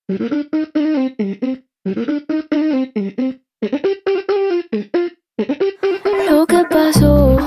Lo que pasó.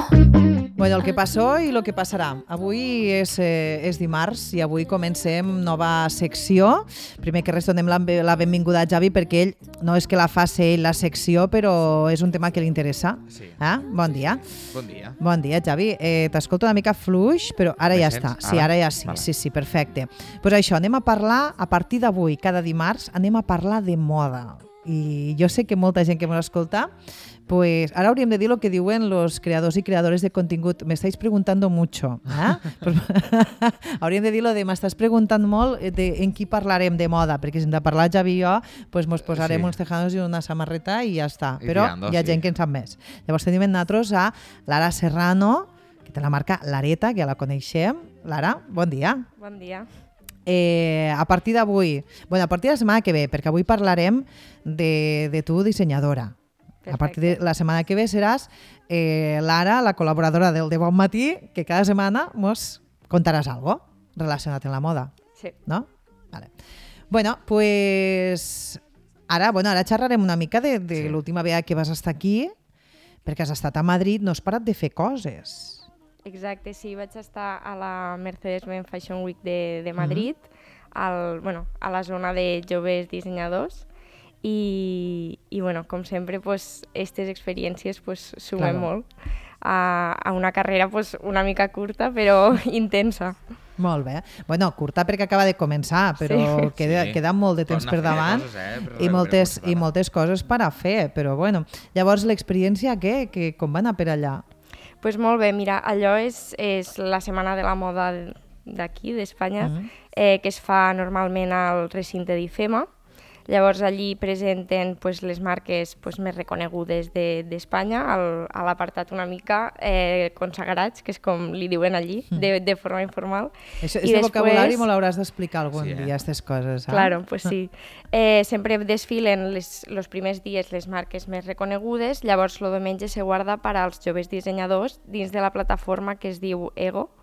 Bueno, el que passó i el que passarà. Avui és dimarts i avui comencem nova secció. Primer que res donem la benvinguda a Javi perquè ell no és que la faci ell la secció, però és un tema que li interessa. Sí. Bon dia. Bon dia. Bon dia, Javi. T'escolto una mica fluix, però ara ja està. Sí, ara ja sí. Vale. Sí, perfecte. Pues això, anem a parlar, a partir d'avui, cada dimarts, anem a parlar de moda. I jo sé que molta gent que m'escolta, pues ahora hauríem de dir lo que diuen los creadors i creadores de contingut. Me estáis preguntando mucho. Pues, hauríem de dir lo de m'estàs preguntant molt en qui parlarem de moda, perquè si hem de parlar Javi i jo, pues mos posarem uns tejanos i una samarreta i ja està. Però hi ha gent que en sap més. Llavors tenim nosaltres a Lara Serrano, que té la marca Lareta, que ja la coneixem. Lara, bon dia. Bon dia. A partir d'avui, bueno, a partir de la setmana que ve, perquè avui parlarem de tu dissenyadora. Perfecte. A partir de la setmana que ve seràs Lara, la col·laboradora del De Bon Matí, que cada setmana mos contaràs algo relacionat amb la moda. Sí. No? Vale. Bueno, pues ara xerrarem una mica de Sí. l'última vegada que vas estar aquí, perquè has estat a Madrid, no has parat de fer coses. Exacte, sí, vaig estar a la Mercedes-Benz Fashion Week de Madrid, a la zona de joves dissenyadors, i com sempre, aquestes experiències sumen molt a una carrera una mica curta, però intensa. Molt bé. Bueno, curta perquè acaba de començar, però queda molt de temps per davant i moltes coses per a fer, però bueno. Llavors, l'experiència què? Com va anar per allà? Pues molt bé, mira, allò és la Setmana de la Moda d'aquí, d'Espanya, que es fa normalment al recinte d'IFEMA. Llavors allí presenten les marques més reconegudes d'Espanya, a l'apartat una mica consagrats, que és com li diuen allí, de forma informal. Això és de vocabulari, me l'hauràs d'explicar algun dia, aquestes coses. Claro, pues sí. Sempre desfilen els primers dies les marques més reconegudes, llavors el diumenge se guarda per als joves dissenyadors dins de la plataforma que es diu Ego,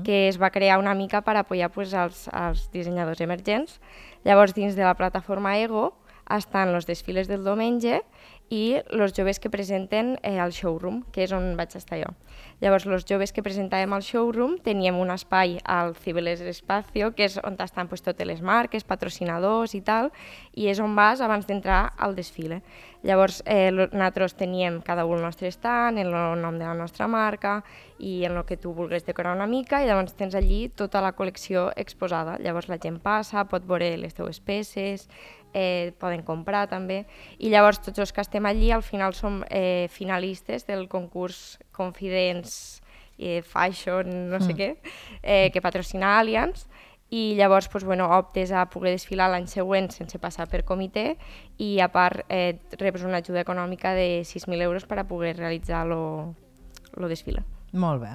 que es va crear una mica per apoyar als dissenyadors emergents. Llavors, dins de la plataforma Ego estan els desfiles del diumenge i els joves que presenten al showroom, que és on vaig estar jo. Llavors, els joves que presentàvem al showroom teníem un espai al Cibeles Espacio, que és on estan totes les marques, patrocinadors i tal, i és on vas abans d'entrar al desfile. Llavors, nosaltres teníem cada un el nostre stand, el nom de la nostra marca i en el que tu vulguis decorar una mica, i llavors tens allí tota la col·lecció exposada. Llavors la gent passa, pot veure les teves peces, poden comprar també, i llavors tots els que estem allí al final som finalistes del concurs Confidence Fashion no sé què, que patrocina Allianz, i llavors optes a poder desfilar l'any següent sense passar per comitè, i a part reps una ajuda econòmica de 6.000 euros per a poder realitzar el desfile. Molt bé.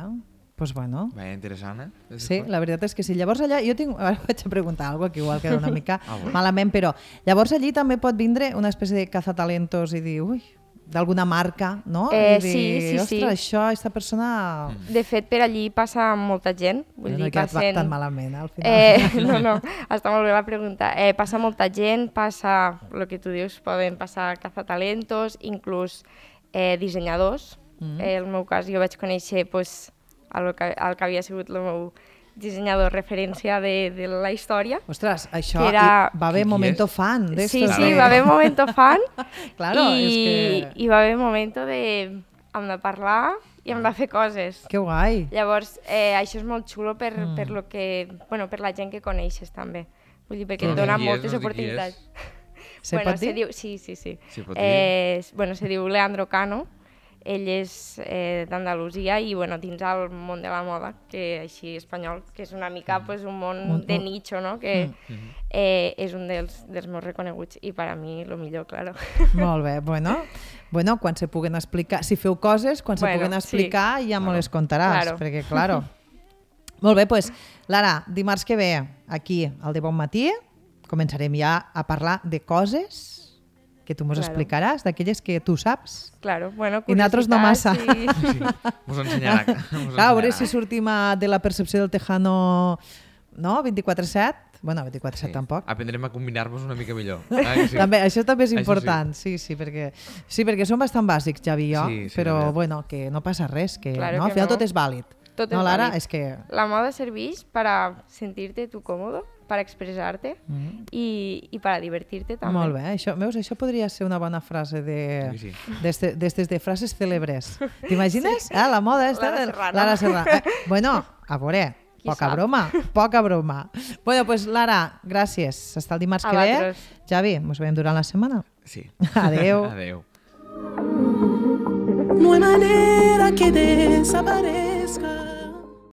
Pues bueno. Bé, interessant, Sí, la veritat és que sí. Llavors allà, ara vaig a preguntar alguna cosa que igual queda una mica malament, però llavors allí també pot vindre una espècie de cazatalentos i dir, ui, d'alguna marca, no? I dir, sí. Ostres, això, aquesta persona... De fet, per allí passa molta gent. No he quedat tan malament, al final. No, està molt bé la pregunta. Passa molta gent, passa, el que tu dius, poden passar cazatalentos, inclús dissenyadors. En el meu cas, jo vaig conèixer el que havia sigut el meu dissenyador referència de la història. Ostres, això va haver momento fan d'estos. Sí, va haver momento fan. Claro, i va haver momento de hem de parlar i hem de fer coses. Que guai. Llavors, això és molt xulo per la gent que coneixes també. Vull dir, perquè et dona moltes oportunitats. Se pot dir? Sí. Se pot dir? Se diu Leandro Cano. Ell és d'Andalusia i dins el món de la moda, que així espanyol, que és una mica un món de nicho, no? Que és un dels més reconeguts i per a mi el millor, claro. Molt bé, bueno, quan se puguen explicar, si feu coses, quan se puguen explicar ja me les contaràs, perquè claro. Molt bé, doncs Lara, dimarts que ve aquí al De Bon Matí començarem ja a parlar de coses que tu mos explicaràs, d'aquelles que tu saps. Claro, i nosaltres no massa. Sí, mos ensenyarà. A veure si sortim de la percepció del tejano 24/7, Bueno, 24/7 tampoc. Aprendrem a combinar-nos una mica millor. Sí. També, això també és Això important, sí, perquè són bastant bàsics, Javi i jo, Sí, però la veritat. bueno, que no passa res, que Claro no, que al final no. tot és vàlid. Tot no, és Lara, vàlid. és que... La moda serveix para sentirte tú cómodo, para expresarte y para divertirte també. Molt bé, això podria ser una bona frase Sí. d'estes de frases cèlebres. T'imagines? Ah, la moda esta Lara de Serrano. Lara Serrano. Bueno, a veure, Qui poca sap? broma. Bueno, pues Lara, gràcies. Hasta el dimarts A que ve. vosaltres. Javi, ens veiem durant la setmana. Sí. Adeu. Adeu. No hay manera que desaparezca.